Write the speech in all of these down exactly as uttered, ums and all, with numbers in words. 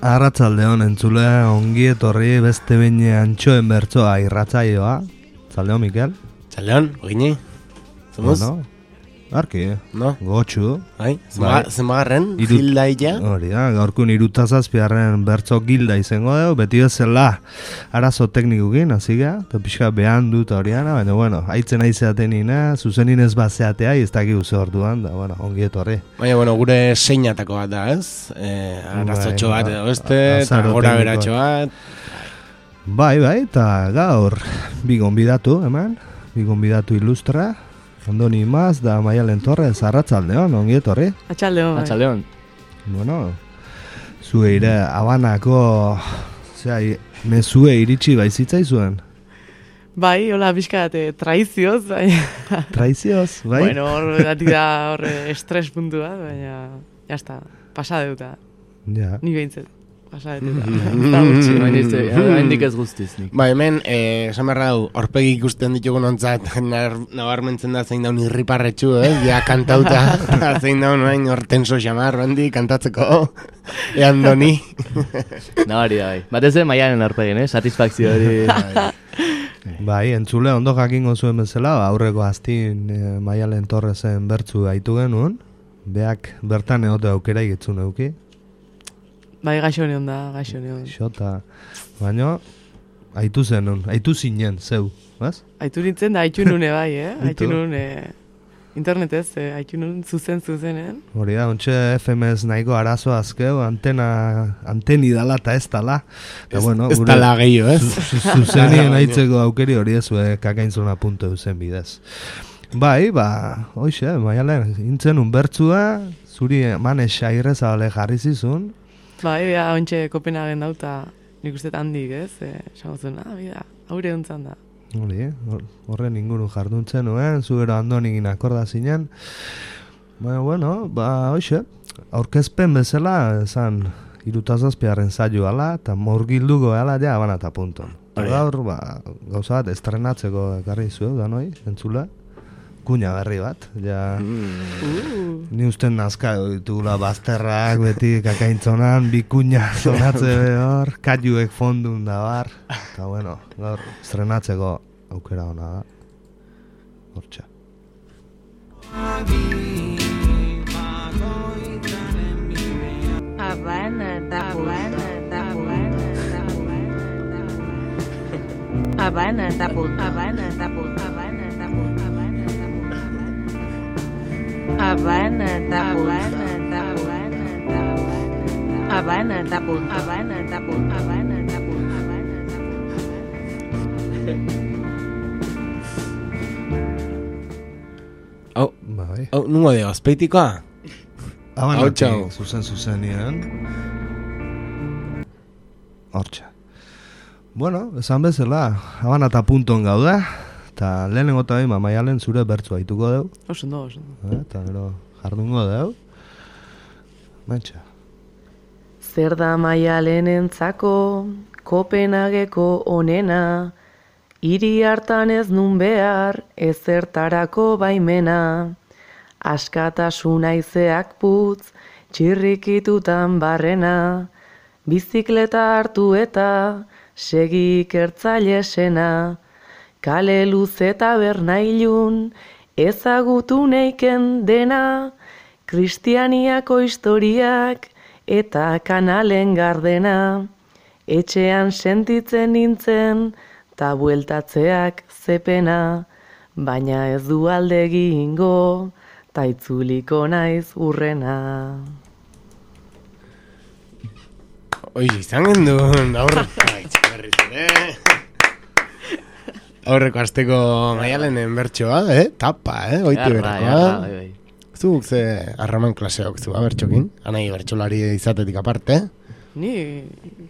Arratsaldeon entzule, ongi etorri beste behin antxoen bertsoa irratsaioa. Zaldeon, Mikel. Zaldeon, ogini. Zomuz? Bueno, arki, no? Gotxu. Bai, zenbagarren, gilda illa. Hori da, gaurkun irutazazpiarren bertso gilda izango dugu, beti bezala arazo teknikukin, hasi gara, eta pixka behan dut horiana, baina, bueno, haitzen aizeaten nina, zuzenin ez bazeatea, ez dakik uze orduan, da, bueno, ongi etorri. Baina, bueno, gure seinatako bat da, ez? Eh, arazotxo bat edo beste, eta gora beratxo bat. Bai, bai, eta gaur, bi gonbidatu, eman, bi gonbidatu ilustra, Andoni Maz da Maialen Torres, arratsaldeon, ongi etorri. Atxaldeon. Atxaldeon. Bueno, zue ire Habanako, zera, mezue iritsi baizitzaizuen. Bai, hola, bizkat, traizioz, baina... Traizioz, bai? Bueno, hor, dati da, hor, estres puntua, baina, jazta, pasa deuta. Ja. Ni behintzet, pasa deuta. Eta gutxi. Haindik ez guztiz nik. Ba, hemen, esan behar dau, horpegi ikusten ditugun ontzat, nabarmentzen da zein daun irriparretxu, eh? Ja, kantauta, zein daun, hain hortenso xamar, bandi, kantatzeko, ean doni. Nabari da, bai. Batez ere Maialen horpegin, eh? Satisfakzio hori. Bai, entzule, ondo jakingo zuen bezala, aurreko aztin e, Maialen Torresen bertzu gaitu genuen, beak bertan egote aukera ikitzun euki. Bai, gaixo neon da, gaixo neon. Xota, baina, aitu zenun, aitu zinen, zeu, baz? Aitu nintzen da, aitu nune bai, eh? Aitu nune, internetez, eh? Aitu nun zuzen zuzenen. Hori da, ontxe F M ez nahiko arazo azkeu, antena, anteni dala eta ez dala. Ez, bueno, ez dala gehiago, ez? Zuzenien aitzeko aukeri hori ez, kakainzuna punto duzen bidez. Bai, ba, hoxe, Maialen, intzen un bertzua, zuri mane xairrezabale jarri zizun. Bai, bea, ontxe Kopenhagen dauta, nik uste handik, ez? Esango zuen, ah, bida, haure hontzan da. Hori, horren inguru jarduntzen nuen, zu gero Andonikin akorda zinen. Baina, bueno, ba, hoxe, aurkezpen bezala, esan, irutazazpiaren zailo ala, eta morgilduko ala, ja, abana eta punton. Gaur, ba, gauza bat, estrenatzeko ekarri zuen, da noi, entzula. Kuña berri bat, ja, mm. Ni usten nazka ditugula bazterrak, beti kakaintzonan, bi kuña zonatze hor, kaiuek fondun da bar, eta bueno, gaur estrenatzeko aukera hona da, hortxa. Habana da Habana da Habana da Habana da Habana da Habana da Habana da Habana da Habana da Habana da Habana da Habana da Hau, bai. Hau, nungo deo, azpeitikoa? Habanatik, zuzen zuzenien. Hortxa. Bueno, esan bezala, Habana eta punton gauda. Eta lehenengo eta behin, Maialen zure bertzu haituko deu. Osondo, osondo. Eta gero jardungo deu. Mentxa. Zer da Maialen entzako, Kopenhageko onena, hiri hartan ez nun behar, ezertarako baimena. Askatasuna izeak putz, txirrikitutan barrena, bizikleta hartu eta segi ikertzailesena. Kale luze eta bernailun, ezagutu neiken dena, kristianiako historiak eta kanalen gardena. Etxean sentitzen nintzen, ta bueltatzeak zepena, baina ez du alde egingo, ta itzuliko naiz urrena. Oiz, izan gendun, aurre, berriz ere. Aurreko azteko Maialenen bertsoa, eh? Tapa, eh? Oiti berakoa. Zuk ze arraman klaseok zu, bertxokin? Anai bertxolari izatetik aparte, eh? Ni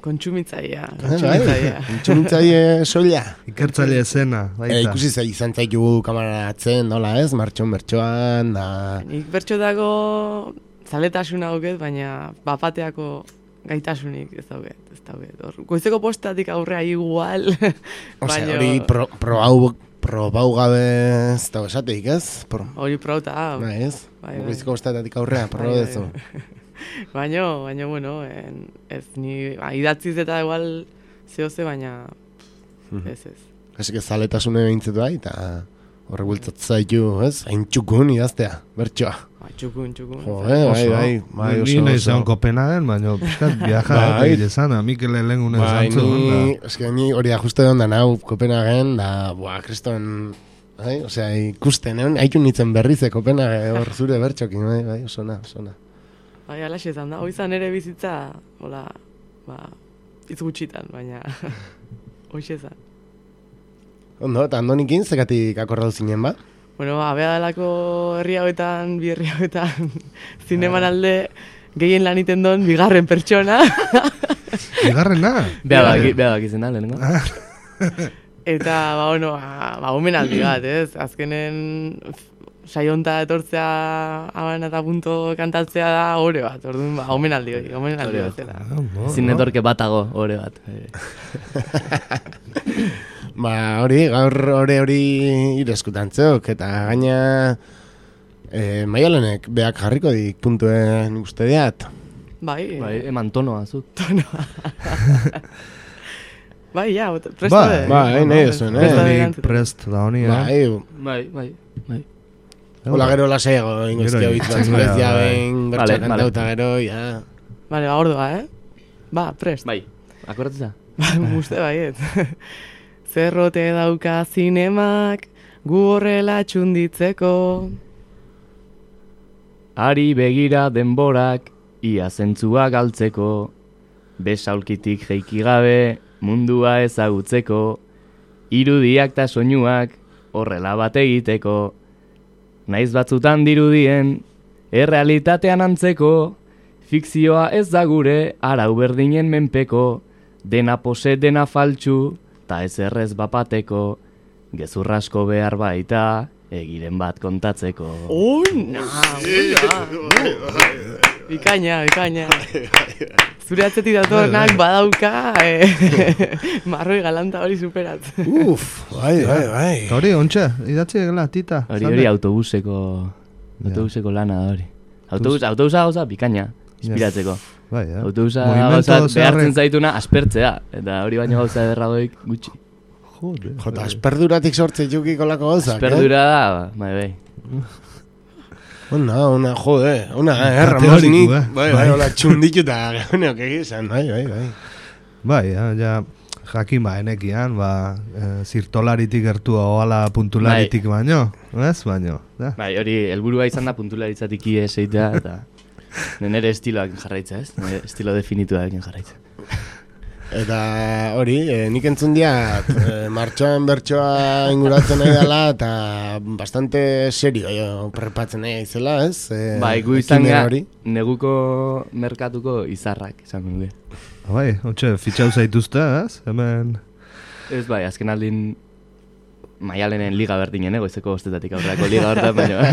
kontsumitzaia, kontsumitzaia. Kontsumitzaia soila. Ikertzaile esena, baita. E, ikusi zai izan zaitu kamaratzen, nola ez? Martxon bertsoan, da... Nik bertxo dago zaletasuna hoket, baina bapateako gaitasunik ez dauget, ez dauget. Goizeko postatik aurrea igual. Ose, hori pro, pro hau, pro bau gabe ez dago esateik, ez? Hori pro eta hau. Ba, ez? Goizeko postatik aurrea, pro dezu. baina, baina, bueno, en, ez, ni ba, idatziz eta igual zehoze, baina ez ez. Ez que zaletasune behintzatu bai, eta horre bultzatzen zaitu, ez? Hain txukun idaztea, bertsoa. Ba, txukun, txukun. Jo, eh, bai, bai, bai, Ni oso, nahi oso. zeon Kopenhagen, baina pixkat viaja Bai. eta izan, Mikel lehengune Bai, zantzu. ni, eske ni hori ajuste egon da nau Kopenhagen, da, buah, kriston, bai, osea, ikusten, egon, haitu nintzen berrize Kopenhagen, hor zure bertxokin, bai, bai, osona, osona. Bai, alaxe izan da. Hoizan ere bizitza, hola, ba, hitz gutxitan, baina hoixe izan. Ondo, eta Andonikin zekatik akordatu zinen, ba? Bueno, ba, bea dalako herri hauetan, bi herri hauetan, zineman alde gehien lan iten don, bigarren pertsona. Bigarrena? Bea baki, bea baki zen da, lehenengo. Eta, ba, bueno, ba, ba omenaldi bat, ez? Azkenen saionta etortzea aban eta punto kantatzea da ore bat, orduan, ba, omenaldi hori, omenaldi Ore bat bat. zela. Zin netorke batago, ore bat. Ba, hori, gaur hori hori ireskutantzeok, eta gaina e, Maialenek beak jarriko dik puntuen uste diat. Bai, Bai, eman tonoa, zuk. bai, ja, presta Bai, de. bai, nahi duzuen, eh? Presta de Nik erantzuten. prest da honi, eh? Bai, Bai, bai, bai. hola gero lasego, ingoztia Gero, bitz bai, batzuk bai. behin, bertxa Vale, kantauta vale. gero, ja. Vale, ba, ordua, eh? Ba, prest. Bai, akordatza? Ba, uste baiet. Zerrote dauka zinemak, gu horrela txunditzeko. Ari begira denborak, ia zentzua galtzeko. Besaulkitik jeiki gabe, mundua ezagutzeko. Irudiak ta soinuak, horrela bat egiteko. Naiz batzutan dirudien, errealitatean antzeko. Fikzioa ez da gure, arau berdinen menpeko. Dena pose, dena faltsu, ta ez errez bapateko. Gezurrasko behar baita, egiren bat kontatzeko. Una, una. Bikaina, bikaina. Zure atzetik datornak badauka, eh, marroi galanta hori superat. Uf, bai, bai, bai. Eta hori, ontxe, idatzi egela, tita. Hori hori autobuseko, autobuseko lana da hori. Autobus, autobusa gauza bikaina, inspiratzeko. Bai, eh? Autobusa Movimiento gauza zeharre- behartzen zaituna aspertzea. Eta hori baino gauza ederragoik gutxi. Jode. Jota, esperduratik sortze txukiko lako gauzak, Esperdura da, bai, bai. Ona, ona, jode, ona, eh, Teórico, Ramosnik, eh. bai, bai, hola, txundituta, gaunok egizan, bai, bai, bai. Bai, ja, ja jakin ba, enekian, ba, e, zirtolaritik gertu oala puntularitik baino, ez baino. Da. Bai, hori helburua izan da puntularitzatik ies eitea, eta nire estiloak jarraitza, ez? Nire estilo definituak jarraitza. Eta hori, e, nik entzun diat, e, martxoan bertsoa inguratzen nahi dela, eta bastante serio jo, prepatzen nahi aizela, ez? E, Bai, gu izan ekimen ga, hori. neguko merkatuko izarrak, izan nuke. Bai, ontxe, fitxau zaituzte, ez? Hemen... Ez bai, azken aldin Maialenen liga berdinen, goizeko ostetatik aurrako liga hortan, baina...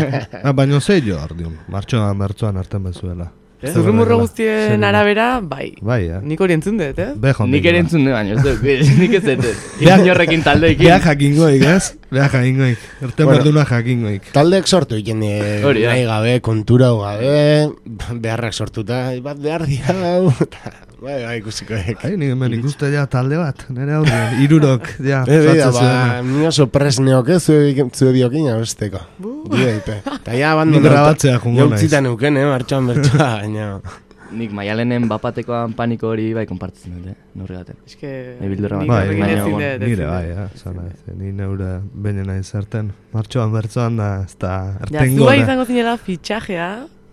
Ah, baino zei jo, ardiun, martxoan bertzoan arten bezuela. Eh? Zurrumurro guztien Serio. arabera, bai. Bai, eh? Nik hori entzun dut, eh? Bejon Nik ere entzun dut, baina, ez dut, nik ez dut. Inorrekin taldeekin. Beha jakingoik, ez? Beha jakingoik. Erten Bueno. berduna jakingoik. Taldeek sortu iken Hori da. nahi gabe, kontura gabe, beharrak sortuta, bat behar dira, hau, eta, bai, bai, ikusiko ek. Ai, nik hemen ikuste ja talde bat, nire aurrean, irurok, ja, Be, be, sartzen ba, zuen. ni oso presneok ez, zue, zue biokin abesteko. Bide, ipe. Eta ja, abandonatu. Nik grabatzea joango naiz. Jautzita neuken, eh, martxoan bertsoa, baina... Nik Maialenen bapatekoan paniko hori bai konpartitzen dut, eh? Norri gaten. Eske, Nahi bildurra nik bat. Bai, horrekin baina, ezin bueno, dut, ezin nire dut. bai, ja, zara, ez, ni neure bene nahi zerten. Martxoan bertzoan da, ez da, Ja, erten zu bai gora. izango zinela fitxajea,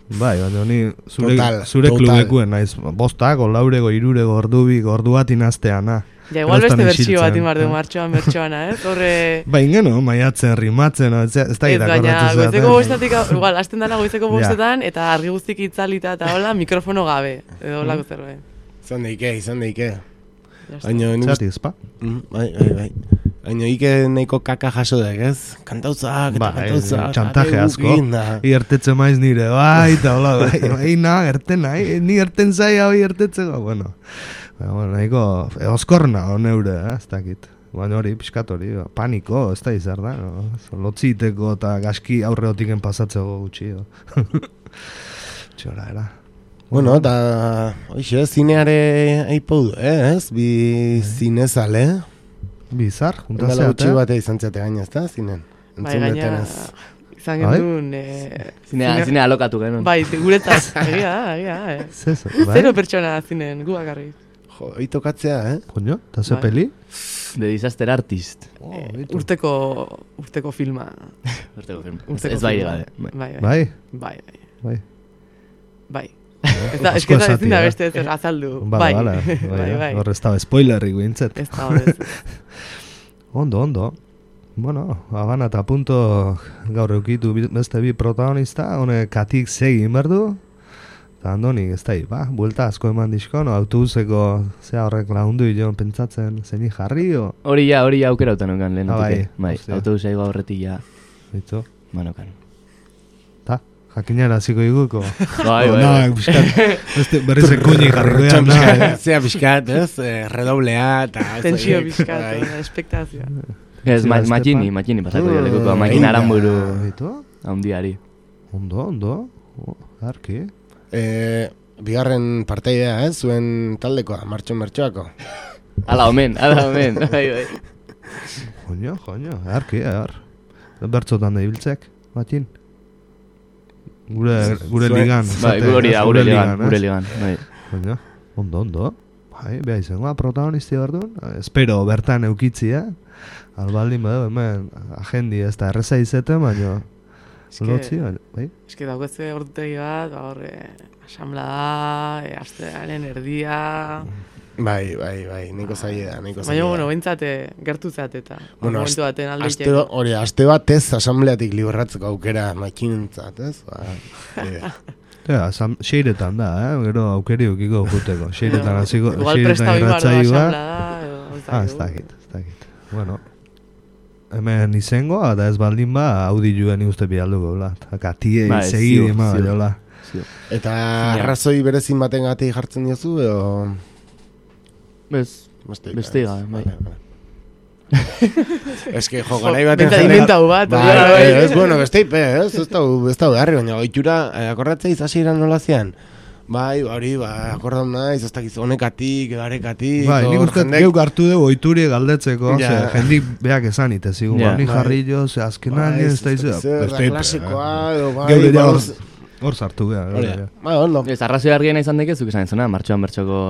Bai, baina ni zure, Total, zure total. klubekuen naiz, bostako, laurego, irurego, ordubik, ordu bat inazteana. ja, igual Geroztan beste bertsio isiltzen, bat inbar du eh? martxoan bertxoana, ez? Horre... Ba, ingeno, maiatzen, rimatzen, ez, ez da Ez, gira baina korratu goizeko bostatik, igual, hasten dala goizeko Ja. bostetan, eta argi guztik itzalita eta hola, mikrofono gabe, edo holako zerbait. Izan daike, izan daike. Ya está. Baina, nik uste... Zati, ezpa? Mm, bai, bai, bai. Baina, ike nahiko kaka jaso dek, ez? Kantautzak, eta Ba, kantautzak. txantaje are asko. gukin, da. Iertetzen maiz nire, bai, eta hola, bai, bai, na, erten nahi, ni erten zai hau iertetzeko, bueno. Ba, bueno, nahiko, eoskorna, neure, eh, ez dakit. Baina hori, pixkat hori, ba, paniko, ez da izar da, no? Lotziteko eta gaski aurreotiken pasatzeko gutxi, jo. Txora, era. Bueno, eta, hoxe, zineare aipau du, eh, ez? Bi zinezale. Bizar, Ondala juntazeate. gutxi batea izan zeate gaina, ez da, zinen? Bai, Entzun gaina, detenez. izan gendun... Eh, Zinea, zinea alokatu genuen. Bai, guretzat, egia da, egia da. Eh. Zezo, bai? Zero pertsona zinen, gu bakarrik. Jo, hori tokatzea, eh? Coño, eta ze Bai. peli? The Disaster Artist. Oh, Eh, bitu. urteko, urteko filma. Urteko film. Ez, Urteko ez bai filma. gabe. Bai. Bai, bai. Bai, Bai, bai. bai. Bai. Ez da, Asko eske ez da esatia, ezin da eh? beste ez azaldu. Ba, Bai, bala, bai, bai. Hor ez da spoilerrik bintzet. Ez da horrez. Ondo, ondo. Bueno, Habana eta punto gaur eukitu bi- beste bi protagonista, hone katik segin berdu. Eta Andoni, ez da, ba, buelta asko eman dizko, no, autobuseko zea horrek lagundu jo pentsatzen zeni jarri, o, Hori ja, hori ja aukera utan okan lehen Ah, bai, bai, hostia. autobusa igo aurretik ja, bitu, manokan. ta, jakinara ziko iguko. Bai, bai, Na, bai. piskat, beste berriz ekuini jarriko ya, na, eh. Zea pixkat, ez? Eh, redoblea, eta... ez Tensio horiek, bizkat, bai. espektazioa. Ez, ma, Estepan. matxini, matxini pasako Mm, dira lekuko, egin makin da. aranburu Bitu, haundiari. ondo, ondo, oh, arki. Eh, bigarren parteidea, ez? Zuen taldekoa, martxon mertxoako. Ala omen, ala omen, bai, bai. Joño, joño, arki, ar. Bertzotan da ibiltzek, matin. Gure, gure Zuen- ligan. Bai, esaten, hori da, ez? gure ligan, ez? gure ligan, bai. Joño, ondo, ondo. Bai, beha izangoa protagonisti berdun. Espero bertan eukitzia. Albaldin badu, hemen agendi ez da erreza izete, baina... Eske- Lotzi, baina, bai. Eske daukatze ordutegi bat, ba hor, eh, asamblea, eh, astearen erdia... Bai, bai, bai, niko zaila da, niko zaila Baina, da. bueno, behintzat, eh, gertu zat eta Bueno, momentu baten alde Aste, ba- hori, aste bat ez asambleatik libratzeko aukera makinentzat, ez? Ba, eh, Ja, asam, seiretan da, eh? Gero aukeri eukiko juteko. Seiretan hasiko, Igual seiretan presta bimardo irratsaioa. asamblea da, edo... ez Ah, ez dakigu. dakit, ez dakit. Bueno, hemen izangoa, eta ez baldin ba, audiluen uste bialduko, bla. Katie Bai, segi ziur, dima, ziur. baina, eta arrazoi berezin baten gatik jartzen diozu, edo... Bez, Beste, Beste gabe, bai. Ez que, jo, garai baten... Behintzat inventau bat, Bai, hori da, bai, bai. ez, bueno, beste ipe, ez, ez da, ez da beharri, baina oitura, eh, akordatzea izasiran nola zian? Bai, hori, ba, akordam naiz, ez dakiz, honekatik, garekatik... Bai, nik hor uste jendek- geuk hartu dugu oituri galdetzeko, Ja. ze jendik beak esan ite zigun, Ja. ba, ni Bai. jarri jo, ze azkenan Bai, ez ez da izan. zer, da klasikoa, edo, bai, Geuk ja ba, hor, ez- hor sartu geha. hori da. Bai, ondo. ez, arrazoi argiena izan dekezuk esan zuna, martxoan bertxoko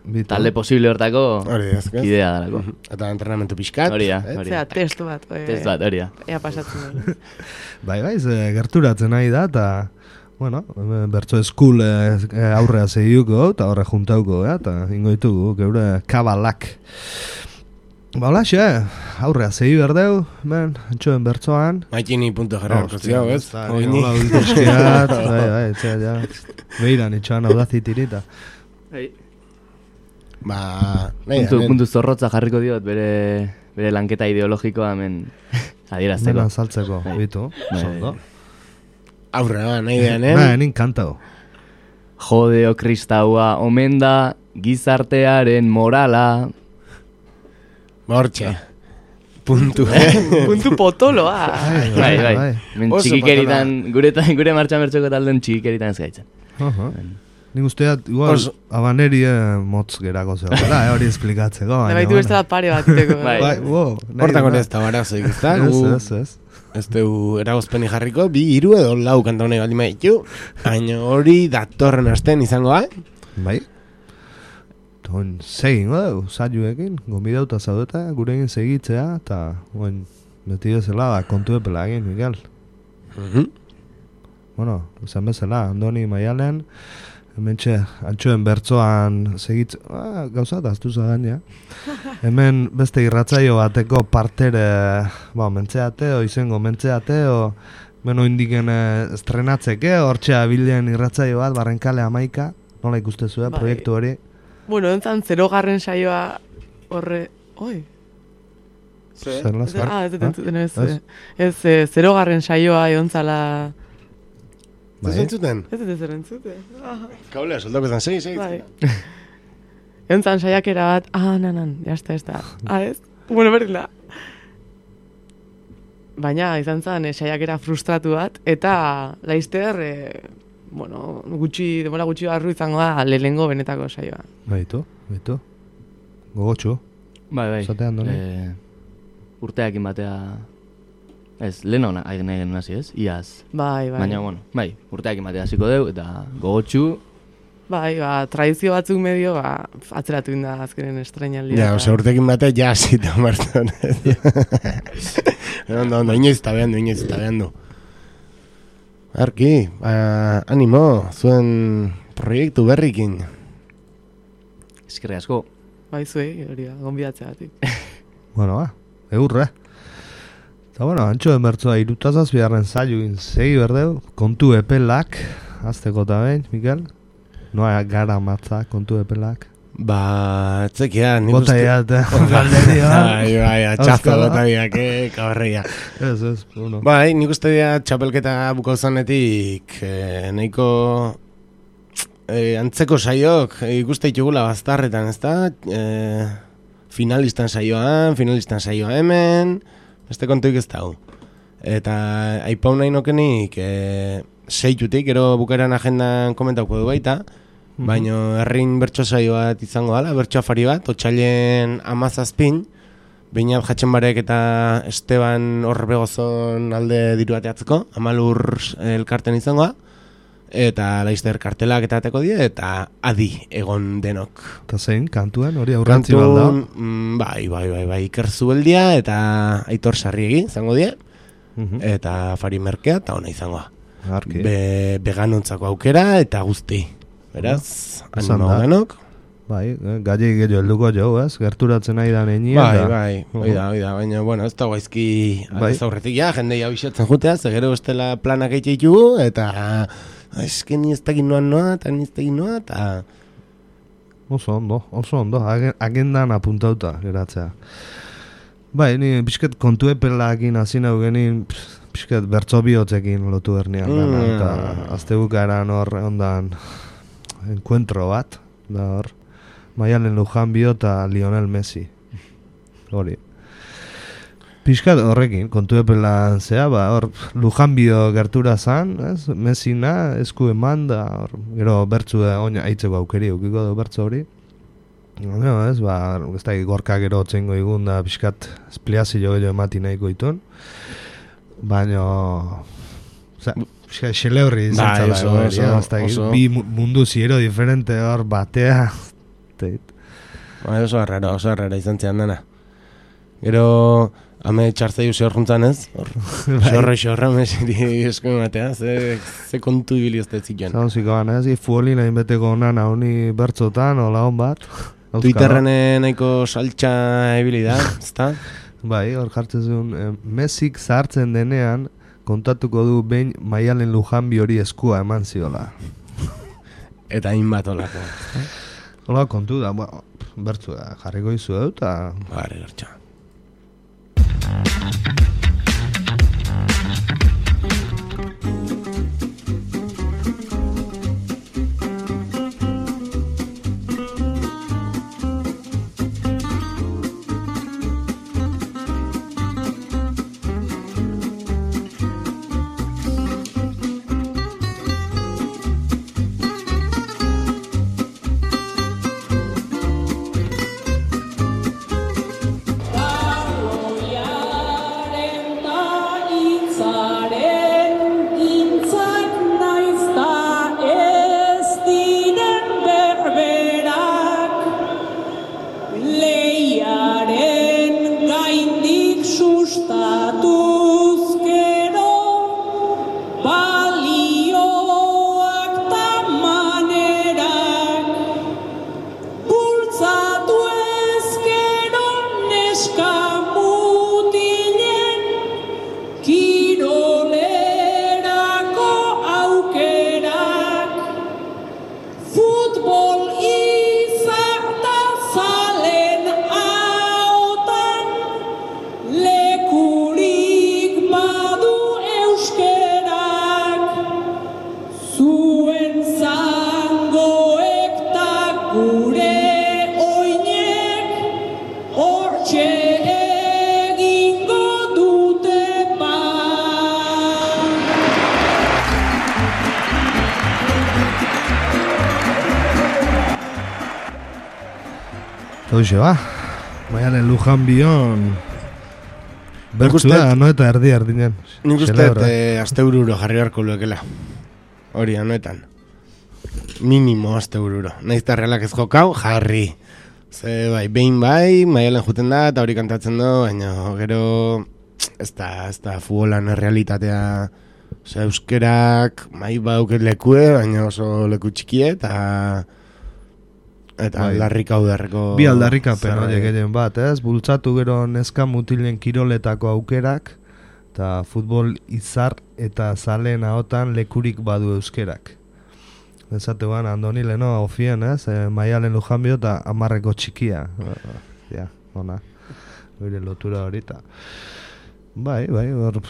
Bitu. talde posible hortako Hori, ez, ez? idea dalako. Eta entrenamentu pixkat. Hori da, ez? hori Zera, da. test bat. eh, Test bat, hori da. Ea pasatzen den. Bai, bai, ze gerturatzen nahi da, eta, bueno, bertso eskul eh, eh, aurrea zehiuko, eta horre juntauko, eh, eta ingo ditugu, geure kabalak. Ba, hola, xe, aurrea zehi berdeu, ben, antxoen bertsoan. Maikini punto jarrarko ziago, ez? Hori Oini. hola ulteskiat, bai, bai, etxea, ja, behiran itxoan audazitirita. Ba, nahi, Puntu, hemen- puntu zorrotza jarriko diot bere, bere lanketa ideologikoa hemen adierazteko. Dena saltzeko, Bai. bitu, Bai, ondo. aurrera, nahi dean, eh? Ba, nin kantau. Jodeo kristaua omen da gizartearen morala. Hortxe. Puntu, eh? Puntu potoloa. Bai, bai. Men Oso txikikeritan, gure, gure martxan bertxoko talden txikikeritan ez gaitzen. Aha. Nik usteat, igual, Oso- abaneri eh, motz gerako zegoela, eh, hori esplikatzeko. Da baina, baitu bueno. beste bat pare bat iteko. Bai. Bai, wow. nahi Hortako dut, ez da barazoik, ez da? Ez, Gu- ez, ez. Ez dugu eragozpeni jarriko, bi hiru edo lau kanta honek baldin baditu, baina hori datorren asten izangoa. Bai. Ton, segin, dugu, zailuekin, gombidauta zaudeta, gurekin segitzea, eta, oin, beti bezala, da, kontu epela egin, Miguel. Mhm. Bueno, esan bezala, Andoni Maialen, hementxe, antxoen bertzoan segitz, ah, gauza da, aztu zagan, ja. Hemen beste irratzaio bateko partere, ba, mentzeate, o izango mentzeate, o beno indiken eh, estrenatzeke, hortxea bilen irratzaio bat, barrenkale amaika, nola ikustezu, eh, Bai. proiektu hori. Bueno, entzan zerogarren saioa horre... Oi, Zerla, ez, zer? ah, ez dut Ah? entzuten ez. Ez? eh, Ez, eh, zerogarren saioa egon zala... Bai. Ez entzuten? Ez dut ezer entzuten. Ah, Kaulea, soldako zan, segi, segi. bai. Egon zan saiakera bat, ah, nanan, jazta, ez da. Ah, ez? Bueno, berdin da. Baina izan zen eh, saiakera frustratu bat, eta laizter, eh, bueno, gutxi, demora gutxi barru izango da lehenengo benetako saioa. Baitu, baitu. Gogotxu. Bai, bai. Zate Andoni. Eh, urteakin batea... Ez, lehen hona, hain egin hasi ez, iaz. Bai, bai. Baina, bueno, bai, urteakin batea hasiko deu, eta gogotxu... Bai, ba, tradizio batzuk medio, ba, atzeratu inda azkenen estrenaldia. Ja, oza, urtekin batea ja hasita martzen. Ondo, ondo, inoiz eta behandu, inoiz eta behandu. Arki, ba, animo, zuen proiektu berrikin. Eskerri asko. Bai, zuei, hori da, gonbidatzea batik. Bueno, ba, eurre. Eta, bueno, antxo emertzoa irutazaz biharren zailuin segi berdeu, kontu epelak, azteko eta behin, Mikel? Noa gara matza, kontu epelak. Ba, etzekia, nik Bota uste... iat, galderia. Bai, bai, atxazo bota biak, eh, kabarria. Ez, ez, bueno. Bai, nik uste dira txapelketa bukau zanetik, eh, nahiko eh, antzeko saiok eh, ikuste ditugula baztarretan, ezta? Eh, finalistan saioan, finalistan saioa hemen, beste kontuik ez dago. Eta aipau nahi nokenik, eh, seitutik, gero bukaeran agendan komentauko du baita, baina herrin bertso saio bat izango dela, bertso afari bat, otxailen amazazpin, Beinat Jatxenbarek eta Esteban Horbegozon alde diru bateatzeko, amalur elkarten izangoa, eta laizter kartelak eta ateko die, eta adi egon denok. Eta zein, kantuen, hori aurrantzi balda? Mm, bai, bai, bai, bai, Iker Zubeldia eta Aitor Sarriegi izango die, eta Fari Merkea eta ona izangoa. Arki. Be, veganontzako aukera eta guzti. Beraz, Esan animo da. denok. Bai, eh, gai gehiago helduko jo, ez? Gerturatzen nahi da neñien. Bai, bai, bai da, bai da, baina, bueno, ez da guaizki Bai. aldez aurretik, ja, jendei abixatzen jutea, ze gero estela planak eitxe ditugu, eta eske ni ez dakit noan noa, eta ni ez dakit noa, eta... Oso ondo, oso ondo, agen- agendan apuntauta geratzea. Bai, ni pixket kontu epelakin hasi nau genin, pixket bertso bihotzekin lotu bernian dana, Mm. eta azte bukaeran hor ondan enkuentro bat, da hor, Maialen Lujanbio eta Lionel Messi. Hori. Pixkat horrekin, kontu epelan zea, ba, hor, Lujanbio gertura zan, ez? Messina, esku eman da, hor, gero bertzu da, oina, aitzeko aukeri, ukiko du bertzu hori. No, ez, ba, ez da, gorka gero txengo igun da, pixkat, espliazio gehiago emati nahiko itun. Baina, oza, pixkat, xeleurri izan Bai, zala, oso, hori, oso, eh, ez da, oso. bi mu- mundu ziero diferente hor batea. Teit. Bai, oso arrara, oso arrara izan zean dena. Gero, hame txartzaiu zehorruntzan ez, hor, xorre xorra mesiri esko ematea, ze, ze kontu ibili ez zitzen. Zauziko gana, ez, fuoli nahi beteko onan hauni bertzotan, hola hon bat. Auskalo. Twitterren eh, nahiko saltxa ibili da, ezta? Bai, hor jartzen zuen, eh, Messik zahartzen denean, kontatuko du behin Maialen Lujanbi hori eskua eman ziola. Eta hainbat olako. Hola, kontu da, bueno, bertzu da, jarriko izu dut, eta... Bare, gertxa. Hoxe, ba. Maialen Lujan bion... Bertzua, no eta erdi erdinen. Nik uste, eh, aste bururo jarri beharko luekela. Hori, anoetan. Minimo aste bururo. Naizta realak ez jokau, jarri. Ze, bai, behin bai, Maialen juten da, eta hori kantatzen du, baina gero... Ez da, ez da, futbolan errealitatea... Ose, euskerak, mai badauket lekue, baina oso leku txikie, eta... Eta bai. aldarrika udarreko... Bi aldarrikapen horiek egin bat, ez? Bultzatu gero neska mutilen kiroletako aukerak, eta futbol izar eta zaleen ahotan lekurik badu euskerak. Ezate ban, Andoni leno ofien, ez? E, Maialen Lujanbio eta amarreko txikia. Ja, ona. Hore lotura horita. Bai, bai, hor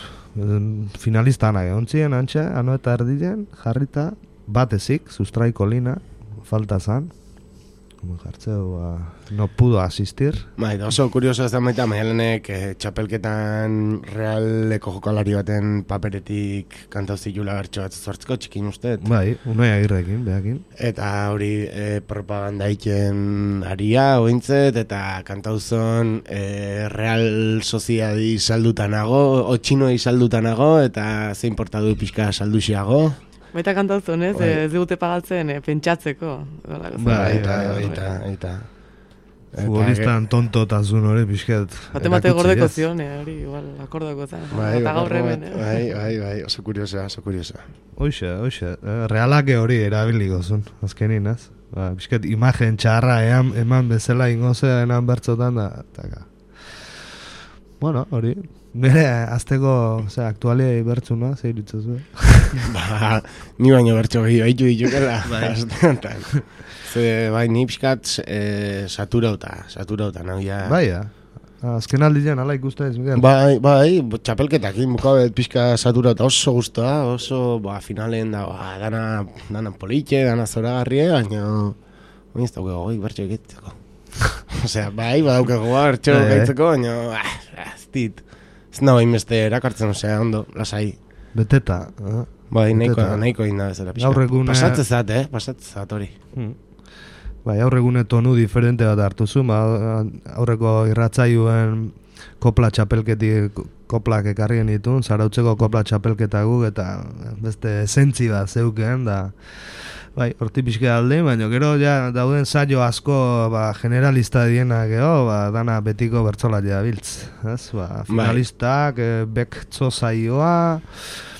finalistanak egon ziren, antxe, ano eta erdien, jarrita, bat ezik, sustraiko lina, falta zan. Como jartzeu, ba, no pudo asistir. Bai, oso kurioso ez da maita, Maialenek eh, txapelketan realeko jokalari baten paperetik kantau zilula bertso bat zortzko txikin usteet. Bai, unai agirrekin, behakin. Eta hori eh, propaganda iken aria, ointzet, eta kantauzon eh, Real Sociedadi saldutanago, otxinoi saldutanago, eta zein portadu pixka salduxiago. Baita kantatzen, ez? Ez digute pagatzen, eh, pentsatzeko. Bai, eta, eta, eta. Futbolistan tontotasun hori pixket. Bate mate gordeko zion, hori, igual, akordako zen. Bai, eta gaur hemen, eh? Bai, bai, bai, oso kuriosa, oso kuriosa. Hoxe, hoxe, realake hori erabiliko zuen, azkenin, ez? Ba, pixket imagen txarra ean, eman bezala ingozea enan bertzotan da, taka. Bueno, hori, bere azteko, ose, aktualiai bertzuna, zeir itzazu. Ba, ni baino bertso gehiago haitu ditukela. Bai. Ze, bai, ni pixkat eh, saturauta, saturauta, nagoia. Bai, ja. Azken aldian, ala ikusten ez, Miguel. Bai, bai, txapelketakin bukabet pixka saturauta oso guztua, oso, ba, finalen da, ba, dana, dana politxe, dana zoragarrie, baina, baina ez daukego goi bertso egitzeko. Osea, bai, badaukego bertso egitzeko, baina, ah, ez dit. Ez nago inbeste erakartzen, osea, ondo, lasai. Beteta, eh? Bai, nahiko, nahiko inda bezala pixka. Aurregune... Pasatzezat, eh? Pasatzezat hori. Hmm. Bai, aurregune tonu diferente bat hartu zu, ba, aurreko irratzaioen kopla txapelketik koplak ekarrien ditun, zarautzeko kopla txapelketa guk, eta beste esentzi bat zeuken, da... Bai, horti pixke alde, baina gero ja dauden saio asko ba, generalista dienak geho, ba, dana betiko bertzolaria biltz. Ez? Ba, finalistak, bai. e, bektzo saioa...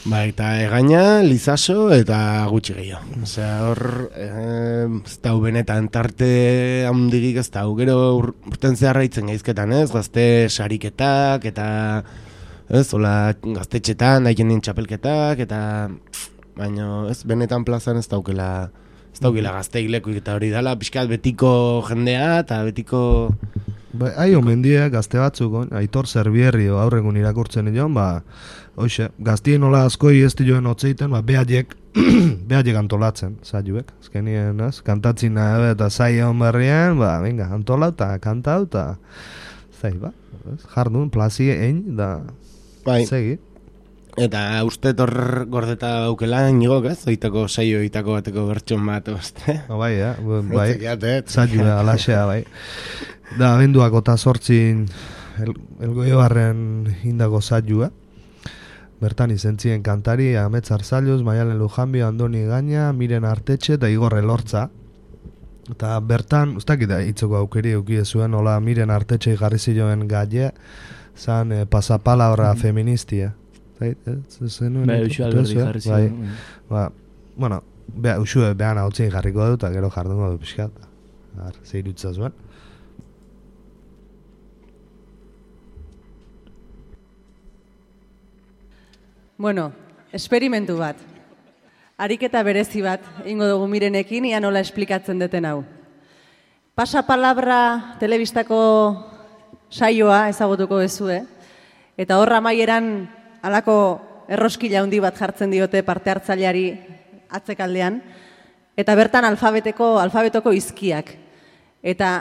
Ba, eta egaina, lizaso eta gutxi gehiago. Osea, hor, eh, ez da benetan tarte handigik ez da, gero ur, urten zeharra itzen gaizketan, ez? Gazte sariketak, eta ez, hola, gaztetxetan, daikien din txapelketak, eta... Baina ez benetan plazan ez daukela ez daukela gazteik lekuik eta hori dala pixkat betiko jendea eta betiko... Ba, hai omendie gazte batzuk, Aitor Zerbierri aurregun irakurtzen joan, ba, hoxe, gaztien nola askoi ez dioen otzeiten, ba, behaiek, behaiek antolatzen, zailuek, azkenien, ez, kantatzin nahi eta zai egon berrien, ba, venga, antola eta kantau eta zai, ba, ez, jardun, plazie ein, da, bai. Segi. Eta uste hor gordeta daukela nigok, ez? Oitako saio, oitako bateko bertxon bat, oste? No, bai, ja, bai, zailu da, alaxea, bai. Da, abenduako eta sortzin el, elgoio barren indako zailua. Bertan izentzien kantari, Amets Arzalluz, Maialen Lujanbio, Andoni Gaina, Miren Artetxe eta Igor Elortza. Eta bertan, ustakita hitzoko aukeri eukidezuen, hola Miren Artetxe jarri ziloen gaie, zan eh, pasapalabra feministia. Bai, usua alberdi jarri ziloen. Ba, bueno, beha, usue behan hau tzin jarriko dut, eta gero jardungo du pixkat. Zeirutza zuen. Bueno, esperimentu bat. Ariketa berezi bat, ingo dugu Mirenekin, ia nola esplikatzen deten hau. Pasapalabra telebistako saioa ezagutuko ezue, eta horra maieran halako erroskila handi bat jartzen diote parte hartzaileari atzekaldean, eta bertan alfabeteko, alfabetoko izkiak. Eta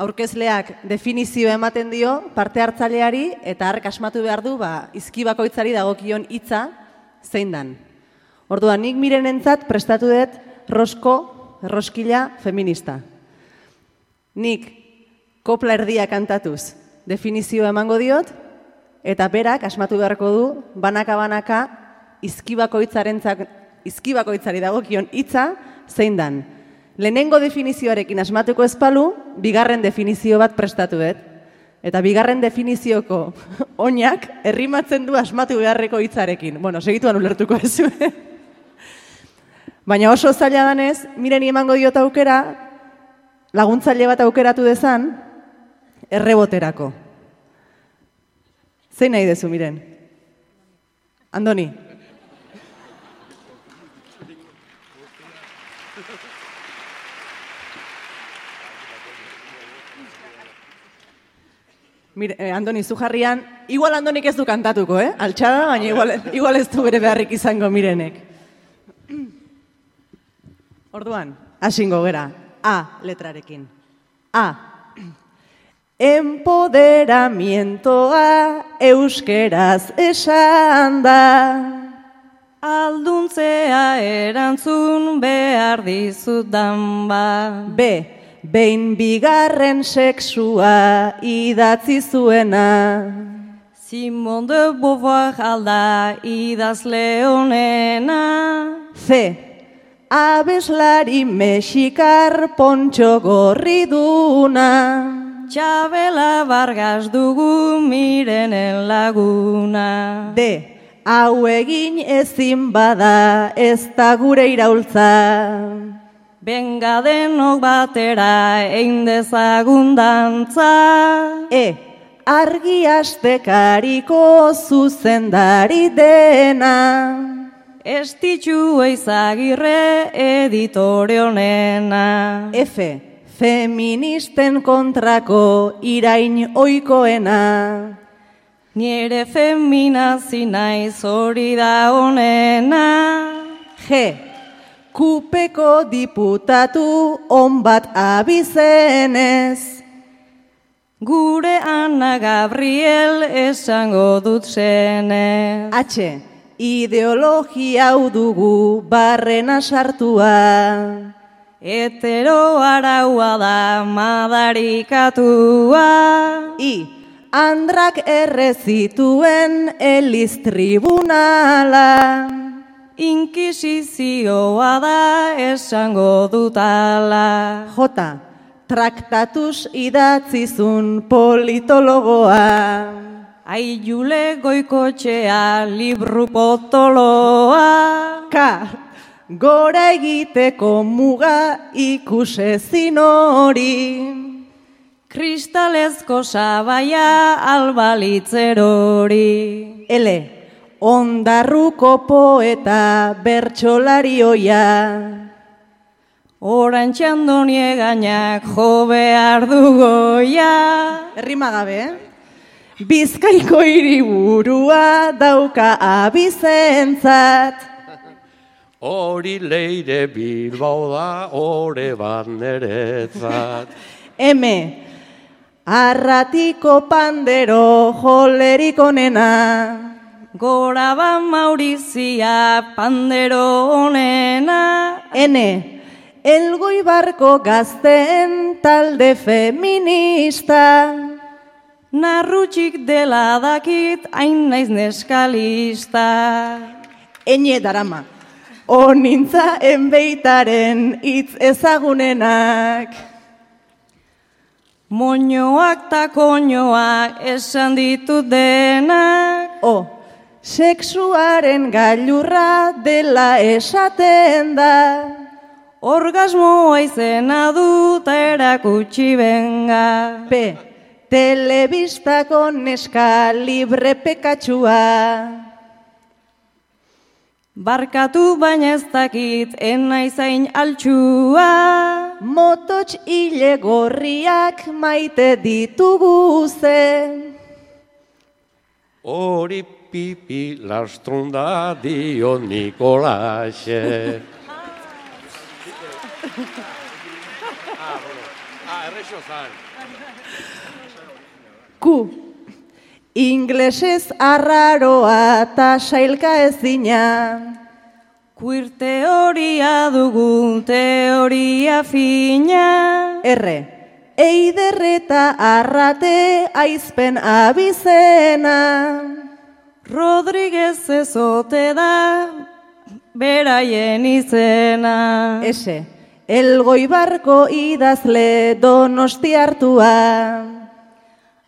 aurkezleak definizio ematen dio parte hartzaileari eta hark asmatu behar du ba, izki bakoitzari dagokion hitza zein dan. Orduan, nik Mirenentzat prestatu dut rosko, erroskila feminista. Nik kopla erdia kantatuz definizioa emango diot, eta berak asmatu beharko du banaka-banaka izkibakoitzarentzak izkibakoitzari dagokion hitza zein dan. Lehenengo definizioarekin asmatuko ezpalu, bigarren definizio bat prestatu dut. Eta bigarren definizioko oinak errimatzen du asmatu beharreko hitzarekin. Bueno, segituan ulertuko ez. Baina oso zaila danez, Mireni emango diot aukera, laguntzaile bat aukeratu dezan, erreboterako. Zein nahi dezu, Miren? Andoni? Mire, eh, Andoni, zu jarrian, igual Andonik ez du kantatuko, eh? Altxada, baina igual, igual ez du bere beharrik izango Mirenek. Orduan, hasingo gera, A letrarekin. A. Empoderamientoa euskeraz esan da. Alduntzea erantzun behar dizudan ba. B. Behin bigarren sexua idatzi zuena. Simone de Beauvoir alda idazle honena. C. Abeslari mexikar pontxo gorri duna. Txabela Vargas dugu Mirenen laguna. D. Hau egin ezin bada ez da gure iraultza. Benga denok batera egin dezagun dantza. E. Argi astekariko zuzendari dena. Estitxu Eizagirre editore honena. F. Feministen kontrako irain oikoena. Niere feminazi naiz hori da honena. G. Kupeko diputatu on bat abizenez. Gure Ana Gabriel esango dut zenez. H. Ideologia hau dugu barrena sartua. Hetero araua da madarikatua. I. Andrak errezituen eliz tribunala. Inkisizioa da esango dutala. J. Traktatuz idatzizun politologoa. Aiule Goikotxea libru potoloa. K. Gora egiteko muga ikusezin hori. Kristalezko sabaia albalitzerori. L. Ondarruko poeta bertsolarioia. Orantxe Andoni gainak jo behar dugoia. Errima gabe, eh? Bizkaiko hiriburua dauka abizentzat. Hori Leire Bilbao da, ore bat neretzat. M. Arratiko pandero jolerik onena. Gora ba Maurizia pandero honena. N. Elgoibarko gazteen talde feminista. Narrutxik dela dakit hain naiz neskalista. Ene darama. Onintza enbeitaren hitz ezagunenak. Moñoak ta koñoak esan ditut denak. O. Sexuaren gailurra dela esaten da. Orgasmoa izena dut erakutsi benga. P. Telebistako neska libre pekatsua. Barkatu baina ez dakit enaizain altxua. Mototx hile gorriak maite ditugu ze. Hori pipi lastrunda dio Nikolaxe. Ah, errexo zan. Q. Inglesez arraroa eta sailka ezina. Queer teoria dugu teoria fina. R. Eiderreta arrate aizpen abizena. Rodriguez ezote da beraien izena. Ese, Elgoibarko idazle donostiartua.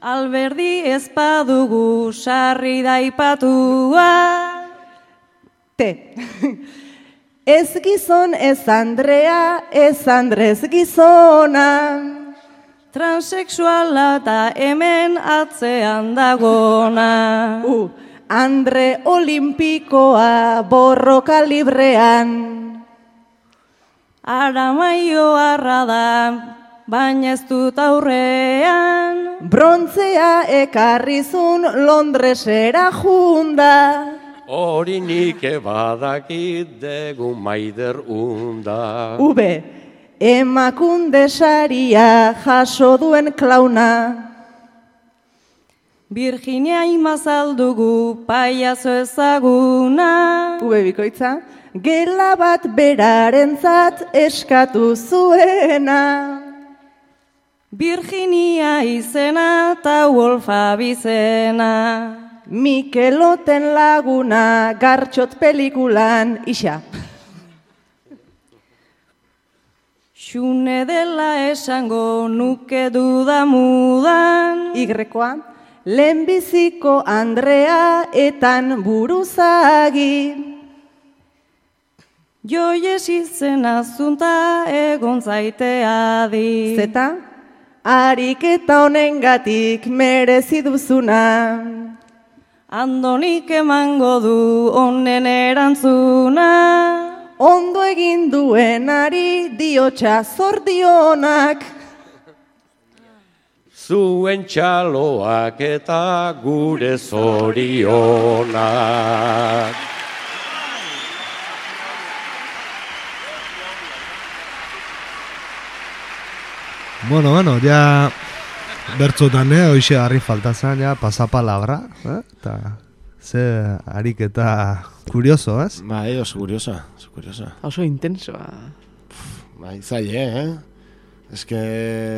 Alberdi ezpadugu sarri daipatua. Te. Ez gizon ez Andrea, ez Andrez gizona. Transexuala eta hemen atzean dagona. Uh, Andre Olimpikoa borroka librean. Aramaio arra da, baina ez dut aurrean. Brontzea ekarrizun Londresera junda. Hori nik badakit degu maider unda. Ube, emakunde saria jaso duen klauna. Virginia imazaldugu paiazo ezaguna. Ube bikoitza, gela bat berarentzat eskatu zuena. Virginia izena eta Wolfa bizena. Mikeloten laguna gartxot pelikulan isa. Xune dela esango nuke dudamudan. Igrekoa, lehenbiziko Andrea etan buruzagi. Joies izena zunta egon zaitea di. Zeta, ariketa honengatik merezi duzuna. Andonik emango du honen erantzuna. Ondo egin duenari diotxa zordionak. Zuen txaloak eta gure zorionak. Bueno, bueno, ja bertzotan, eh, hoxe harri faltazan, ja, pasapalabra, eh, eta ze ariketa kurioso, ez? Bai, oso kuriosa, oso kuriosa. Oso intensoa. Bai, zaile, eh? Ez que...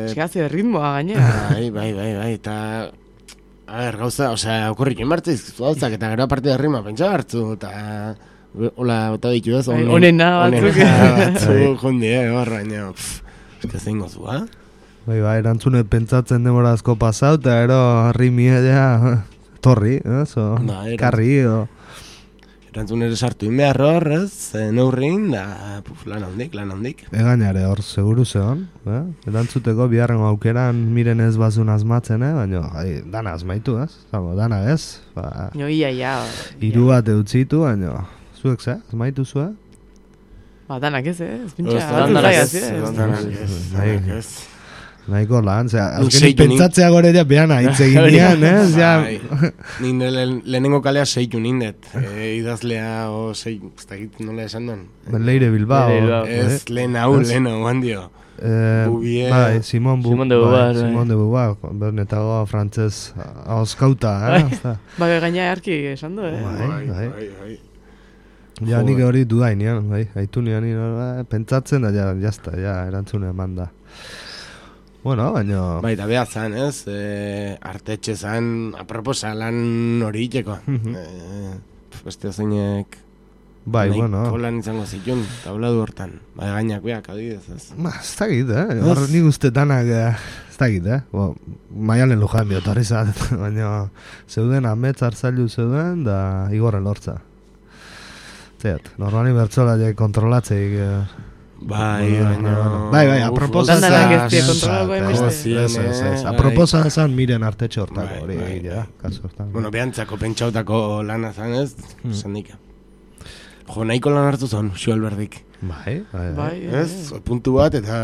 Txegatze de ritmoa gainera. Bai, bai, bai, bai, eta... A ber, gauza, osea, okurrik inbartziz, gauzak, eta gero aparte de rima pentsa hartzu, eta... Hola, eta ditu ez, Bai, onena batzuk. Onena batzuk, jondi, eh, horra, baina, pff, ez que zein gozu, ha? Bai, bai, erantzune pentsatzen demora asko pasau, eta ero rimie ja, torri, eh, so, Ba, eran- karri, o... Erantzun ere sartu inbehar hor, ez, eh, neurrin, da, puf, lan handik, lan handik. Egainare hor, seguru zeon, eh? Erantzuteko biharrengo aukeran miren ez bazun asmatzen, eh? Baina, ai, dana asmaitu, ez? Zago, dana ez? Ba, No, ia, ia. hiru bat eutzitu, baina, zuek ze, asmaitu zue? Ba, danak ez, eh? Ez Ez, pintxa, danak danak ez, ez, eh? danak ez, danak ez. Nahiko lan, zera, Nik azkenik seitu nik- pentsatzea gore ja behan aitze ginean, eh? Ja, Bai, ni nire lehenengo kalea seitu nindet, e, idazlea o sei, ez dakit nola esan duen. Leire Bilbao. Leire Bilbao. Ez, lehen hau, Ez. lehen hau, handio. Eh, Bouvier. bai, Simon, Bu- Simon de bai, Beauvoir, bai. Simon de Beauvoir, benetago frantzez hauskauta, eh? Ozta. Ba, gaina harki esan du, eh? Bai, bai. bai, bai. Ja, nik Joder. hori dudainean, bai, haitu nian, bai, pentsatzen da, ja, jazta, ja, erantzune eman da. Bueno, baina... Bai, eta behar zan, ez, e, artetxe zan, aproposa lan hori iteko. Mhm. e, beste zeinek... Bai, bueno... lan izango zitun, tabladu hortan. Bai, gainak beak, adibidez, ez. Ba, ez dakit, eh? Hor nik uste danak, eh, ez dakit, eh? Bo, Maialen Lujan diot, hori zat, baina zeuden amets hartzailu zeuden, da igorre lortza. Zeat, normali bertzola je kontrolatzeik... Eh, Bai, bueno, baina... bai, bai, aproposa Dan danak ez die zan- kontrolako zan- hainbeste. ez, ez, ez, Bai. aproposa zan miren artetxe hortako, Bai, hori bai, egitea, bai. kasu hortan. Bueno, behantzako pentsautako lana zan, ez? Hmm. Zendik. Jo, nahiko lan hartu zon, Xuelberdik. Bai, bai, bai. Bai, eh. Ez? Puntu bat eta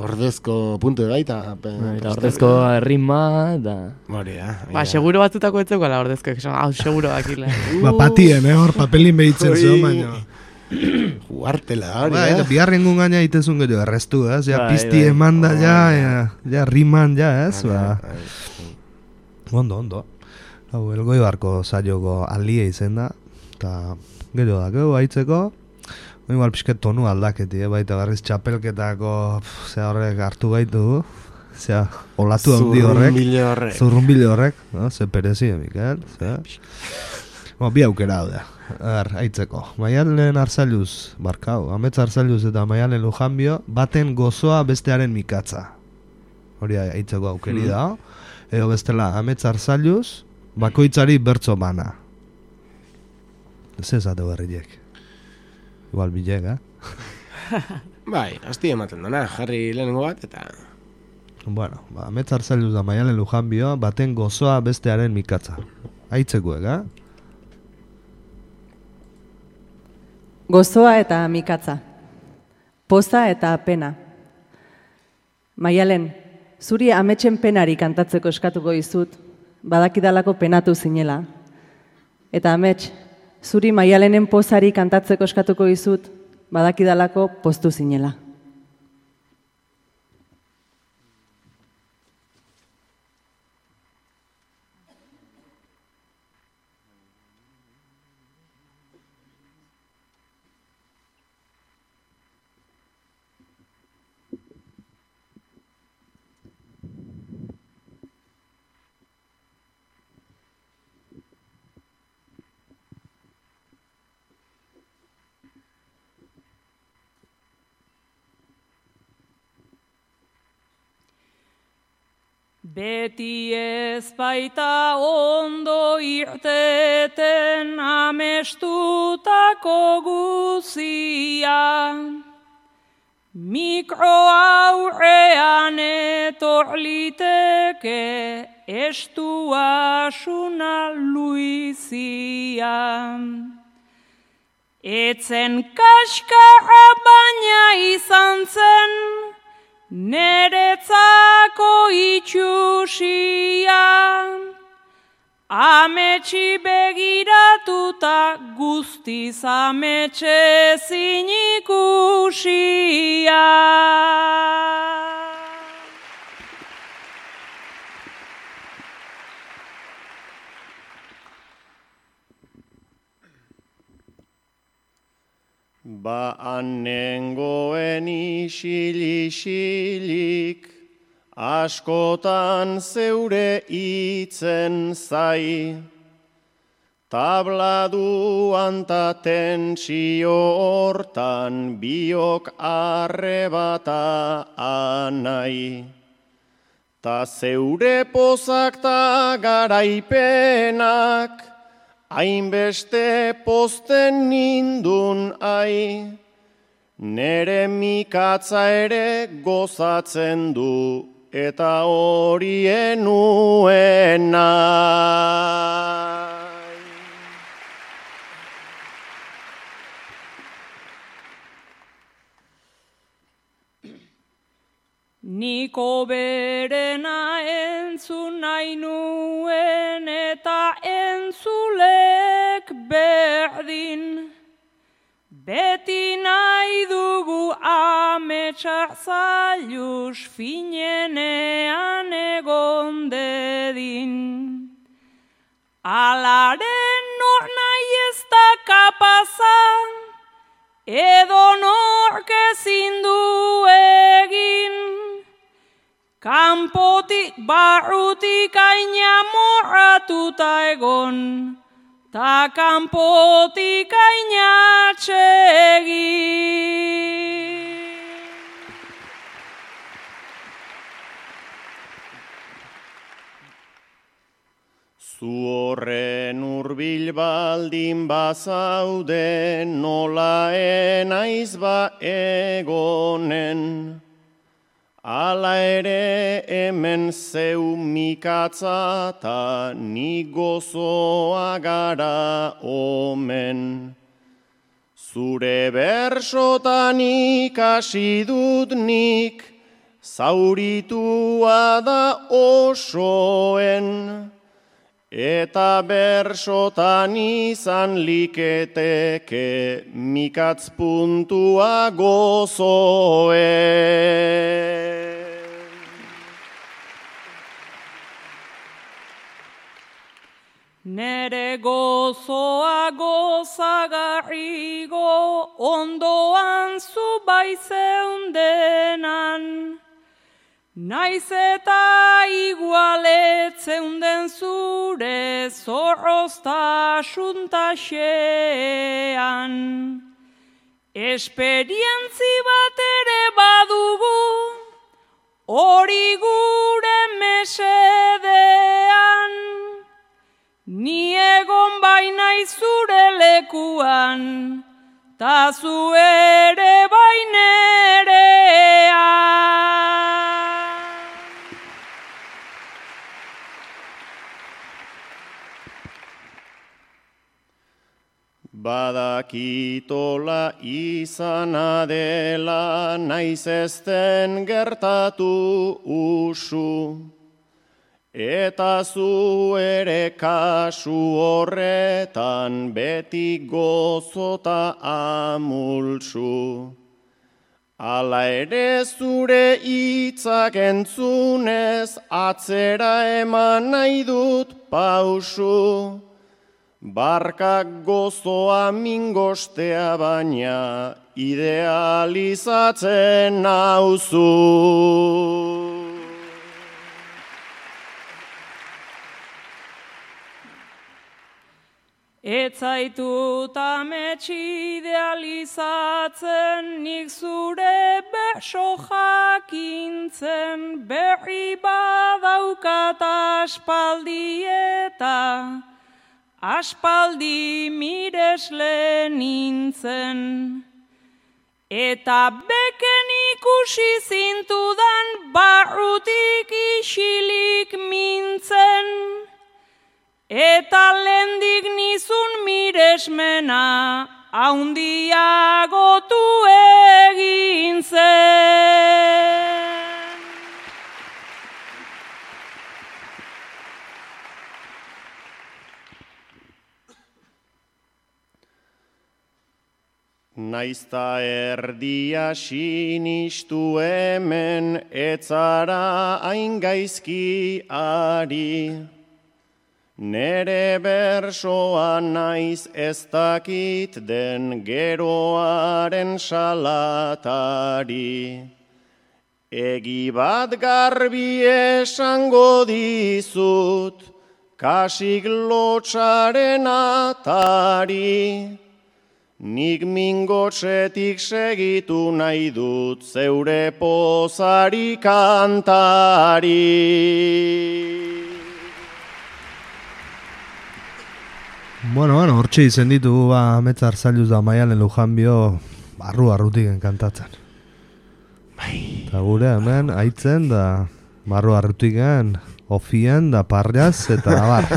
ordezko puntu bai, eta... Eta ordezko rima, da... Hori da. Ba, seguro batzutako etzeko ala ordezko, esan, hau, seguro dakila. Ba, patien, eh, hor papelin behitzen Ui. zeo, baina... Juartela, hori, Bai, eh? biharrengun gaina itezun gero errestu, ez? Ja, Bai, pizti bai. eman da, ja, Bai. ja, ja, riman, ja, ez? Ba, Bai. ondo, ondo. Hau, Elgoibarko saioko alie izen da, eta gero da, gero haitzeko, igual pixket tonu aldaketi, eh? Baita berriz txapelketako, pff, ze horrek hartu gaitu, zea, olatu handi horrek. Zurrumbile horrek. Zurrumbile horrek, no? Ze perezi, Mikel, zea. Ba, bi aukera hau da, ar, aitzeko. Maialen Arzailuz, barkau, Amets Arzailuz eta Maialen Lujanbio, baten gozoa bestearen mikatza. Hori aitzeko aukeri da. Edo bestela, Amets Arzailuz, bakoitzari bertso bana. Ez ezate berriek. Igual bilek, eh? Bai, hasti ematen dana, jarri lehenengo bat, eta... Bueno, ba, Amets Arzailuz da Maialen Lujanbio, baten gozoa bestearen mikatza. Aitzekuek, eh? Gozoa eta mikatza. Poza eta pena. Maialen, zuri ametsen penari kantatzeko eskatuko dizut, badakidalako penatu zinela. Eta amets, zuri Maialenen pozari kantatzeko eskatuko dizut, badakidalako poztu zinela. Beti ez baita ondo irteten amestutako guzia, mikro aurrean etor liteke estuasuna luizia. Etzen kaskarra baina izan zen, neretzako itxusia, ametsi begiratuta guztiz ametxe zinikusia. Ba anengoen isil-isilik, askotan zeure itzen zai, tabladuan ta tentsio hortan biok arrebata anai. Ta zeure pozak ta garaipenak, hainbeste pozten nindun ai, nere mikatza ere gozatzen du, eta horien nuen nahi. Niko berena entzun nahi nuen eta entzulek berdin. Beti nahi dugu ametsak zailuz finenean egon dedin. Alaren nor nahi ez da kapazan, edo nork ezin du egin. Kanpotik barrutik aina morratuta egon, ta kanpotik aina atsegin. Zu horren hurbil baldin bazaude, nola enaiz ba egonen. Ala ere hemen zeu mikatza ta ni gozoa gara omen. Zure bersotan ikasi dut nik, zauritua da osoen. Eta bersotan izan liketeke mikatz puntua gozoen. Nere gozoa gozagarrigo ondoan zu bai zeundenan. Naiz eta igualetzen den zure zorroztasun taxean, esperientzi bat ere badugu, hori gure mesedean, ni egon baina zure lekuan, ta zu ere bainerean. Badakitola izana dela naiz ezten gertatu usu, eta zu ere kasu horretan beti gozota amulsu. Hala ere zure hitzak entzunez atzera eman nahi dut pausu. Barkak gozoa mingostea baina idealizatzen nauzu. Ez zaitut amets idealizatzen, nik zure beso jakintzen, berri badaukat aspaldi eta aspaldi miresle nintzen, eta beken ikusi zintudan barrutik isilik mintzen, eta lehendik nizun miresmena haundiagotu egin zen. Naizta erdia sinistu hemen etzara hain gaizki ari. Nere bersoa naiz ez dakit den geroaren salatari. Egi bat garbi esango dizut, kasik lotsaren atari. Nik mingotsetik segitu nahi dut zeure pozari kantari. Bueno, bueno, hortxe izen ditugu ba, Ametzar Zailuz da Maialen Lujanbio barru-barrutik kantatzen. Eta gure hemen aitzen da barru-barrutik ofien da parriaz eta abar.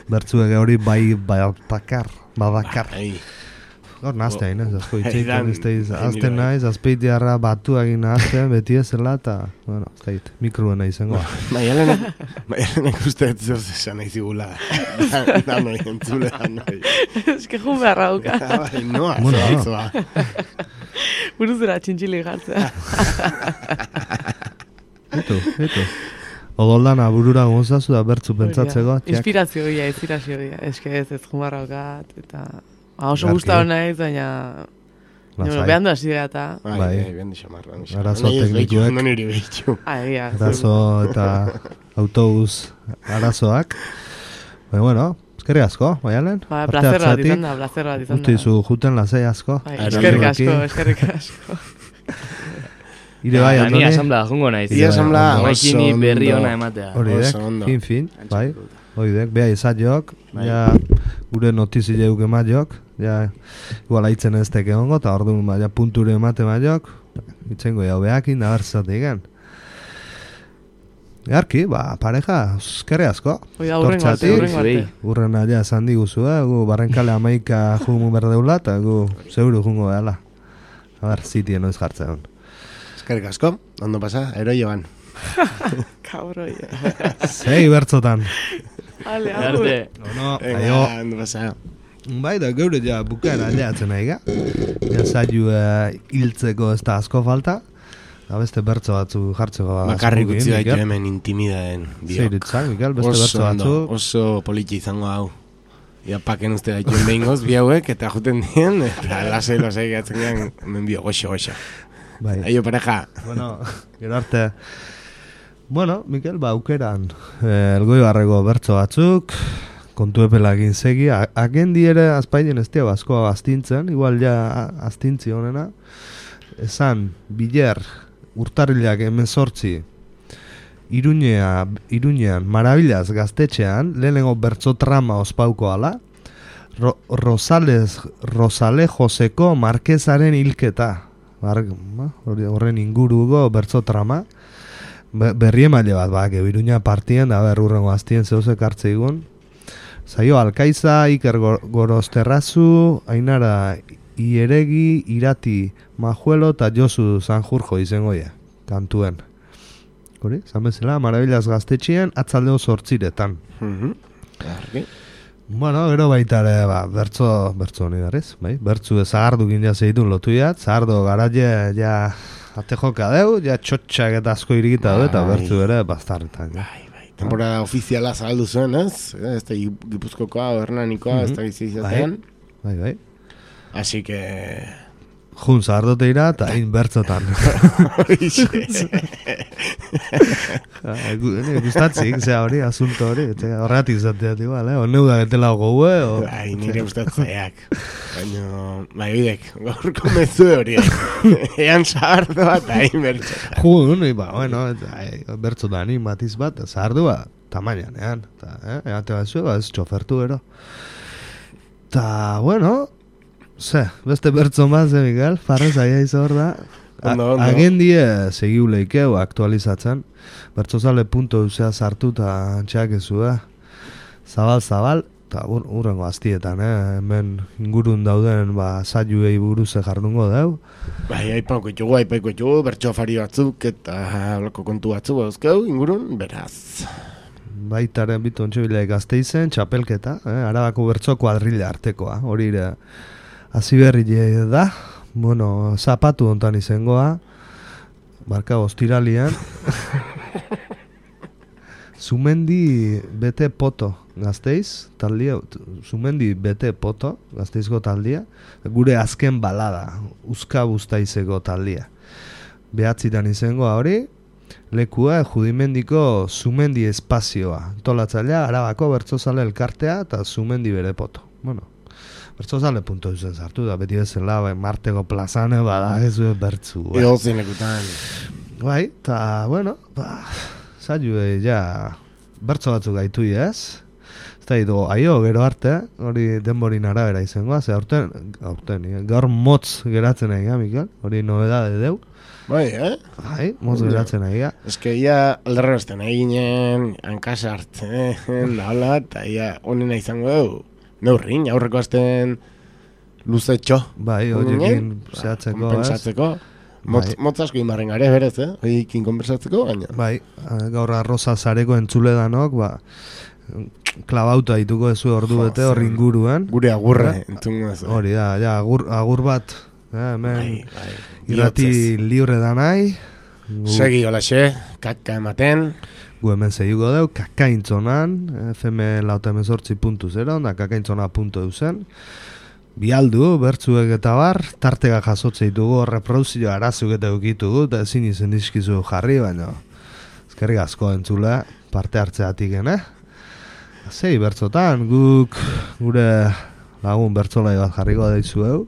Bertzuek hori bai bakar, babakar. Gaur nazte hain, ez asko itxeik, azten naiz, azpeitiarra batu egin azten, beti ezela, eta, bueno, ez gait, mikroena izango. Maialenek uste ez zoz esan nahi zigula. Da noi, entzule da noi. Ez que jun beharra duka. Bai, noa, zoa. Buruzera txintxili jartzea. Eto, eto. Odoldana burura gonzazu da bertzu pentsatzeko. Inspirazio gila, inspirazio gila. Ez que ez ez jun beharra dukat, eta... Oso guztau nahiz, baina... Behan du hasi gara eta... Bai, behan du xamarra. Arazo teknikuek. Arazo eta autobus arazoak. Baina, bueno, eskerri asko, Maialen. Ba, placer bat izan da, placer bat izan da. Utizu juten lasei asko. Eskerrik asko, eskerrik asko. Ire bai, Andoni. Ni asamblea jungo naiz. Ni asamblea oso ondo. Berri ona ematea. Hori dek, fin, fin, bai. Hori dek, beha izatiok, ja gure notizi jeuk ematiok, ja igual haitzen ez teke ongo, eta orduan ba, ja punture emate maiok, itzengo jau behakin, da bertzatik gen. Garki, ba, pareja, eskerri asko. Oida, urren arte, urren arte. Urren alia esan diguzu, eh? Gu barrenkale amaika jungu berdeula, eta gu seguru jungo behala. A ber, zitien noiz jartzen. Eskerrik asko, ondo pasa, ero joan. Kabroi. Zei bertzotan. Ale, agur. No, no, aio. Ondo pasa. Bai da, geure ja bukaera aldeatzen nahi ga. Ja zailu hiltzeko ez da asko falta. Da beste bertzo batzu jartzeko. Bakarrik utzi baitu hemen intimidaden. Zeiritzak, Mikel, beste bertzo batzu. Oso politxe izango hau. Ia paken uste daituen behingoz bi hauek, eta juten dien, eta lasei lasei gatzen gehan, hemen bio, goxo, goxo. Bai. Aio pareja. Bueno, gero arte. Bueno, Mikel, ba, aukeran, eh, elgoibarreko bertso batzuk, kontu epelakin segi, agendi ere azpainen ez dio askoa astintzen, igual ja astintzi honena, esan, biler, urtarrilak emezortzi, Iruñea, Iruñean, Marabilaz gaztetxean, lehenengo bertso trama ospauko ala, Ro, Rosales, Rosale Joseko Marquezaren hilketa, horren inguruko bertso trama, berri emaile bat, ba, Iruña partien, da ber, urrengo aztien zeuzek hartze igun. Zaio, Alkaiza, Iker Gorosterrazu, Ainara Ieregi, Irati Majuelo eta Josu Sanjurjo izengoia, kantuen. Hori, zan bezala, Marabilaz gaztetxean, atzaldeo zortziretan. Mm-hmm. Bueno, gero baita ere, ba, bertzo, bertzo honi darez, bai? Bertzu zahardu gindea zeitun lotu jat, zahardu garaje, ja, ate joka deu, ja txotxak eta asko irikita du, eta bertzu ere, bastarretan. Bai, bai, temporada ofiziala zahaldu zuen, ez? Ez da Gipuzkokoa, Hernanikoa, ez da gizizatean. Bai, bai. Así que... Jun zahardote ira, eta hain bertzotan. Gustatzik, zea hori, asunto hori, horretik zateat igual, eh? Oneu da getela gogue, o... Bai, nire gustatzeak. Baina, bai, bidek, gaurko mezu hori. Ean zahardo bat, hain bertzotan. Jun, ba, bueno, bertzotan, matiz bat, zahardua, tamainan, ean. Eh? Eate bat zuen, ba, ez txofertu ero. Ta, bueno... Ze, beste bertzo maz, eh, Miguel? Farrez aia izor da. Agendie segiu leikeu aktualizatzen. Bertzozale punto eusea sartu eta antxeak ezu, eh? Zabal-zabal, eta urrengo aztietan, eh? Hemen ingurun dauden, ba, zailuei buruze jardungo deu. Bai, aipauko etxugu, aipauko etxugu, bertso afari batzuk eta loko kontu batzuk bauzkeu, ingurun, beraz. Baitaren bitu ontxebilek Gasteizen, txapelketa, eh? Arabako bertso kuadrilla artekoa, hori ere... Hasi berri da, bueno, zapatu ontan izengoa, barka ostiralian, Zumendi bete poto Gasteiz, taldia, Zumendi bete poto Gasteizko taldia, gure azken balada, Uzka Buztaizeko taldia. Behatzitan izengoa hori, lekua Judimendiko Zumendi espazioa, tolatzailea, Arabako bertzozale elkartea eta Zumendi bere poto. Bueno, bertzozale punto duzen zartu da, beti bezala, bai, Marteko plazane bada, ez du bertzu. Bai. Ego zinekutan. Bai, eta, bueno, ba, zailu, ja, bertzo batzuk gaitu ez? Ez da, idu, aio, gero arte, hori denborin arabera izangoa, ze aurten, aurten, gaur motz geratzen nahi, Mikel, hori nobedade deu. Bai, eh? Bai, motz geratzen nahi, ja. Ez que ia alderrezten eginen, hankasartzen, da hola, eta ia onena izango dugu. Neurrin, aurreko azten luzetxo. Bai, horiekin zehatzeko, kompensatzeko. Motz, bai. Motz asko inbarren gare berez, eh? Horiekin konpensatzeko, baina. Bai, gaur arroza zareko entzule danok, ba, klabauta dituko ezu ordu bete horri inguruan. Gure agurra, entzungo ez. Hori da, ja, agur, agur bat, eh, hemen bai, bai. Irrati libre da nahi. Segi holaxe, kaka ematen. Gu hemen zehiko deu, kakaintzonan, F M lauta emezortzi puntu zero, da kakaintzona puntu eusen. Bialdu, bertzuek eta bar, tartega jasotze ditugu, reproduzio arazuk eta eukitugu, eta ezin izen dizkizu jarri, baina ezkerrik asko entzule, parte hartzeatik, eh? Zei bertzotan, guk gure lagun bertzolai bat jarriko daizu eu,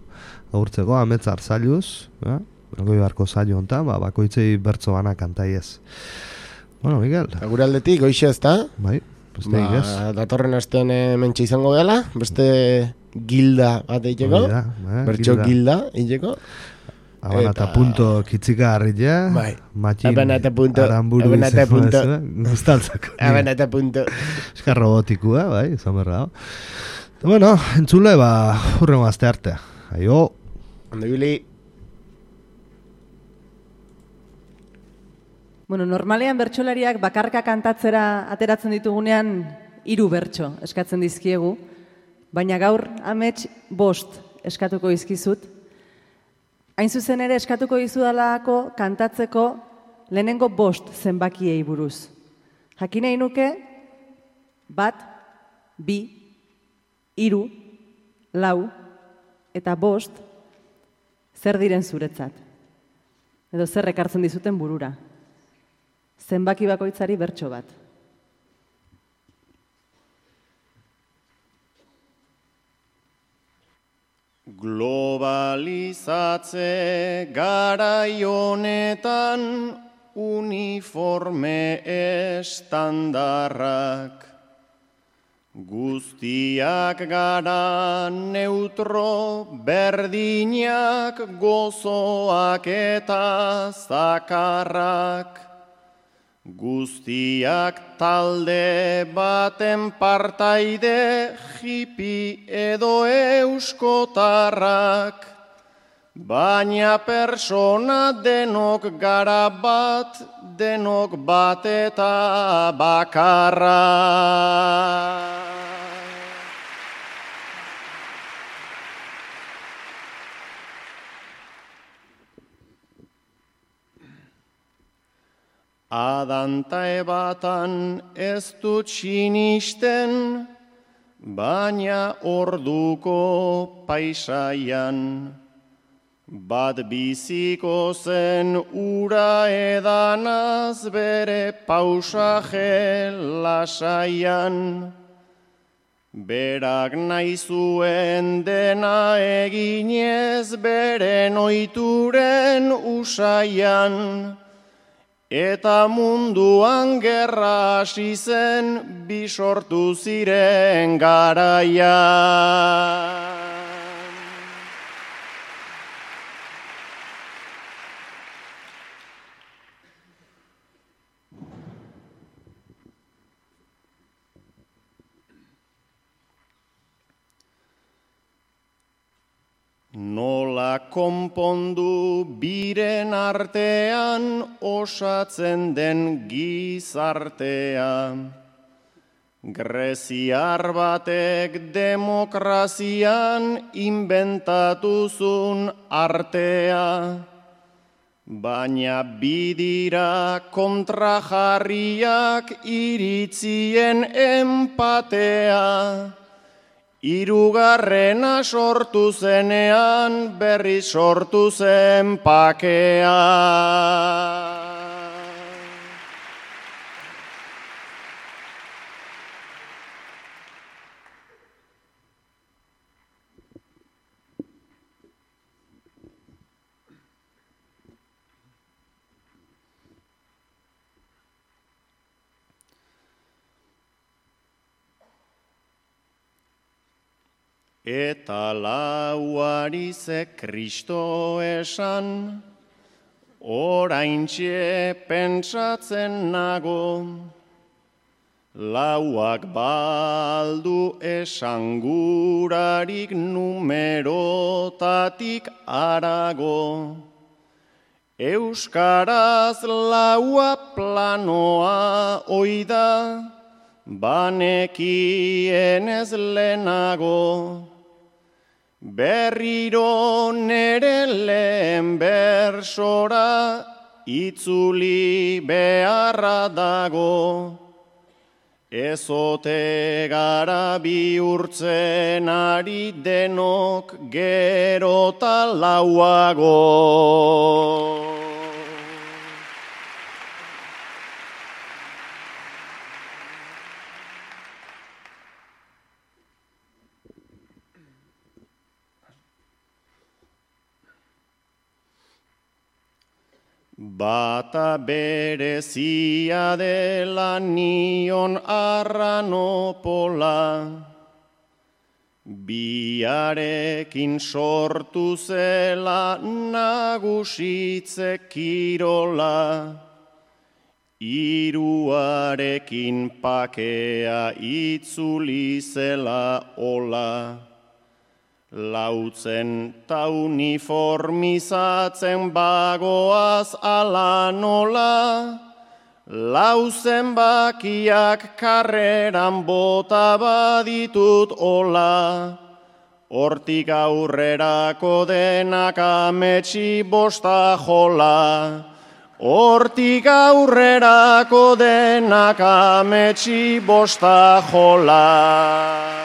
agurtzeko, ametz arzailuz, eh? Goi barko zailo hontan, ba, bakoitzei bertzo bana kantai ez. Bueno, Miguel. Gure aldetik, goixe ez da? Bai, beste ba, igez. Datorren astean mentxe izango dela, beste gilda bat eiteko. Eh, bertxo gilda eiteko. Abanata punto kitzika harrile. Bai. Matxin abanata punto. Aramburu abanata punto. Gustaltzako. Abanata punto. Eska robotikua, bai, izan berra. Bueno, entzule, ba, hurrengo azte arte. Aio. Ondo bili. Bueno, normalean bertsolariak bakarka kantatzera ateratzen ditugunean hiru bertso eskatzen dizkiegu, baina gaur amets bost eskatuko dizkizut. Hain zuzen ere eskatuko dizudalako kantatzeko lehenengo bost zenbakiei buruz. Jakin nahi nuke bat, bi, hiru, lau eta bost zer diren zuretzat. Edo zer ekartzen dizuten burura. Zenbaki bakoitzari bertso bat. Globalizatze garai honetan uniforme estandarrak. Guztiak gara neutro berdinak, gozoak eta zakarrak. Guztiak talde baten partaide, hippie edo euskotarrak. Baina persona denok gara bat, denok bat eta bakarra. Adanta ebatan ez dut sinisten, baina orduko paisaian. Bat biziko zen ura edanaz bere pausaje lasaian. Berak nahi zuen dena eginez beren ohituren usaian. Eta munduan gerra hasi zen bi sortu ziren garaian. Nola konpondu biren artean osatzen den gizartea. Greziar batek demokrazian inbentatuzun artea. Baina bidira kontrajarriak iritzien empatea. Hirugarrena sortu zenean berri sortu zen pakea. Eta lauari ze Kristo esan, oraintxe pentsatzen nago. Lauak baldu esangurarik numerotatik arago. Euskaraz laua planoa oida, banekien ez lehenago. Berriro nere lehen bersora itzuli beharra dago. Ezote gara bihurtzen ari denok gerota lauago. Bata berezia dela nion arranopola, biarekin sortu zela nagusitze kirola, hiruarekin pakea itzuli zela ola. Lautzen ta uniformizatzen bagoaz ala nola, lauzen bakiak karreran bota baditut ola, hortik aurrerako denak ametsi bosta jola, hortik aurrerako denak ametsi bosta jola.